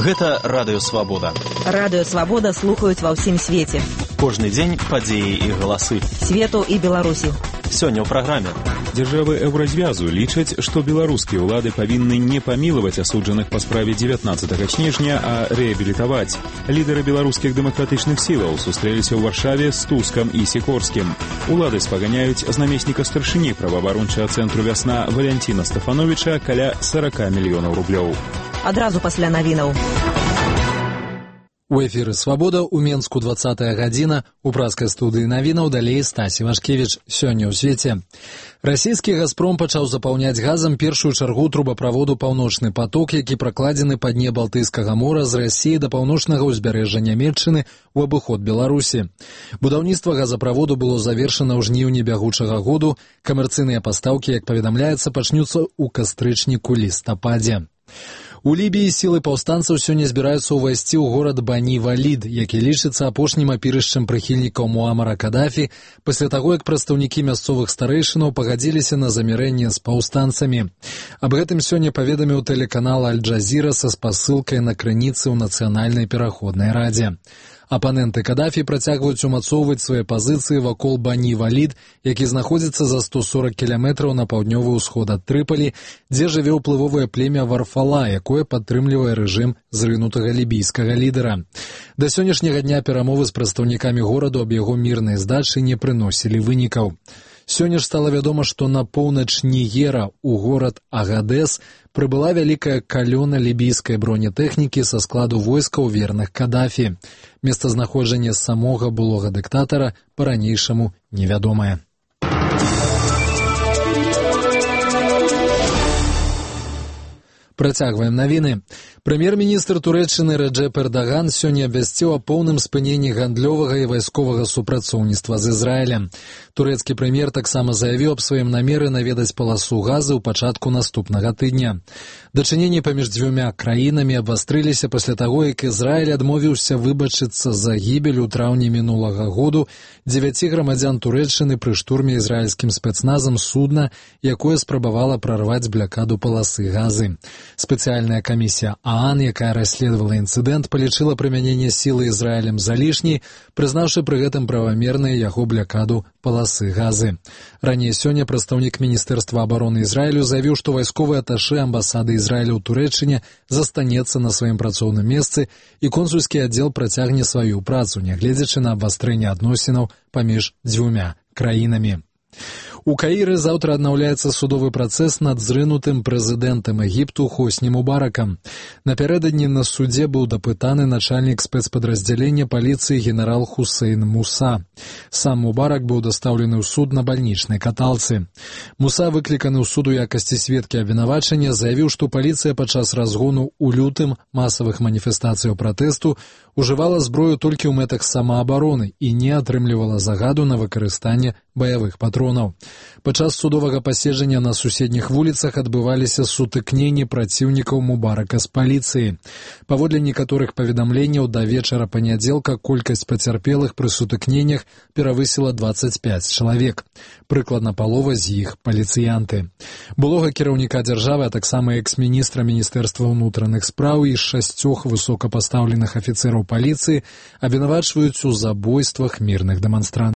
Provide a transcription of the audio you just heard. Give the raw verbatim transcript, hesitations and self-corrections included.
Гэта Радыё Свабода. Радыё Свабода слухаюць ва ўсім свеце. Кожны дзень падзеі і галасы Свету і Беларусі. Сёння ў праграме. Дзяржавы Еўразвязу лічаць, што беларускія ўлады павінны не памілаваць асуджаных па справе дзевятнаццатага снежня, а рэабілітаваць. Лідары беларускіх дэмакратычных сілаў сустрэліся ў Варшаве з Тускам і Сікорскім. Улады спаганяюць з намесніка старшыні праваабарончага цэнтру «Вясна» Валянціна Стафановіча каля сорок мільёнаў рублёў. Адразу пасля навінаў. У эфіры «Свабода» у Менску двадцатая гадзіна, у праскай студыі навінаў далей Стасі Вашкевіч. Сёння ў свеце. Расійскі «Газпром» пачаў запаўняць газам першую чаргу трубаправоду «Паўночны поток», які пракладзены па дне Балтыйскага мора з Расіі да паўночнага ўзбярэжжа Нямецчыны ў абыход Беларусі. Будаўніцтва газаправоду было завершана ў жніўні бягучага году. Камерцыйныя пастаўкі, як паведамляецца, пачнуцца ў кастрычніку-лістападзе. У Лібіі сілы паўстанцаў сёння збіраюцца ўвайсці ў горад Бані-Валід, які лічыцца апошнім апірышчам прыхільнікаў Муамара Кадафі, пасля таго, як прадстаўнікі мясцовых старэйшынаў пагадзіліся на замірэнне з паўстанцамі. Аб гэтым сёння паведаміў тэлеканал Аль-Джазіра са спасылкай на крыніцы ў Нацыянальнай пераходнай радзе. Апаненты Кадафі працягваюць умацоўваць свае пазіцыі вакол Бані-Валід, які знаходзіцца за сто сорок кіламетраў на паўднёвы ўсход ад Трыпалі, дзе жыве ўплывовае племя Варфала, якое падтрымлівае рэжым зрынутага лібійскага лідара. Да сённяшняга дня перамовы з прадстаўнікамі гораду аб яго мірнай здачы не прыносілі вынікаў. Сёння ж стала вядома, што на поўнач Нігера ў горад Агадэс прыбыла вялікая калёна лібійскай бронетэхнікі са складу войскаў верных Кадафі. Месцазнаходжанне самога былога дыктатара па-ранейшаму невядомае. Працягваем навіны. Прэм'ер-міністр Турэччыны Рэджэп Эрдаган сёння абвясціў о поўным спыненні гандлёвага і вайсковага супрацоўніцтва з Ізраілем. Турэцкі прэм'ер таксама заявіў аб сваім намеры наведаць паласу газы ў пачатку наступнага тыдня. Дачыненні паміж дзвюмя краінамі абвастрыліся пасля таго, як Ізраіль адмовіўся выбачыцца за гібель у траўні мінулага году дзевяці грамадзян Турэччыны пры штурме ізраільскім спецназам судна, якое спрабавала прарваць блякаду паласы газы. Спецыяльная камісія ААН, якая расследавала інцыдэнт, палічыла прымяненне сілы Ізраілем за лішняй, прызнаўшы пры гэтым правамернай яго блякаду паласы газы. Раней сёння прадстаўнік Міністэрства абароны Ізраілю заявіў, што вайсковы аташэ амбасады Ізраіля ў Турэччыне застанецца на сваім працоўным месцы і консульскі аддзел працягне сваю працу, нягледзячы на абвастрэнне адносінаў паміж дзвюмя краінамі. У Каіры заўтра аднаўляецца судовы працэс над зрынутым прэзідэнтам Егіпту Хосні Мубаракам. Напярэдадні на судзе быў дапытаны начальнік спецпадраздзялення паліцыі генерал Хусейн Муса. Сам Мубарак быў дастаўлены ў суд на бальнічнай каталцы. Муса, выкліканы ў суд у якасці сведкі абвінавачання, заявіў, што паліцыя падчас разгону ў лютым масавых маніфестацыяў пратэсту ужывала зброю толькі ў мэтах самаабароны і не атрымлівала загаду на выкарыстанне баявых патронаў. Падчас судовага паседжання на суседніх вуліцах адбываліся сутыкненні праціўнікаў Мубарака з паліцыяй. Паводле некаторых паведамленняў, да вечара панядзелка колькасць пацярпелых пры сутыкненнях перавысіла дваццаць пяць чалавек. Прыкладна палова з іх паліцыянты. Былога кіраўніка дзяржавы, а таксама экс-міністра Міністэрства ўнутраных спраў і шасцёх высокапастаўленых афіцэраў паліцыі абвінавачваюць у забойствах мірных дэманстрантаў.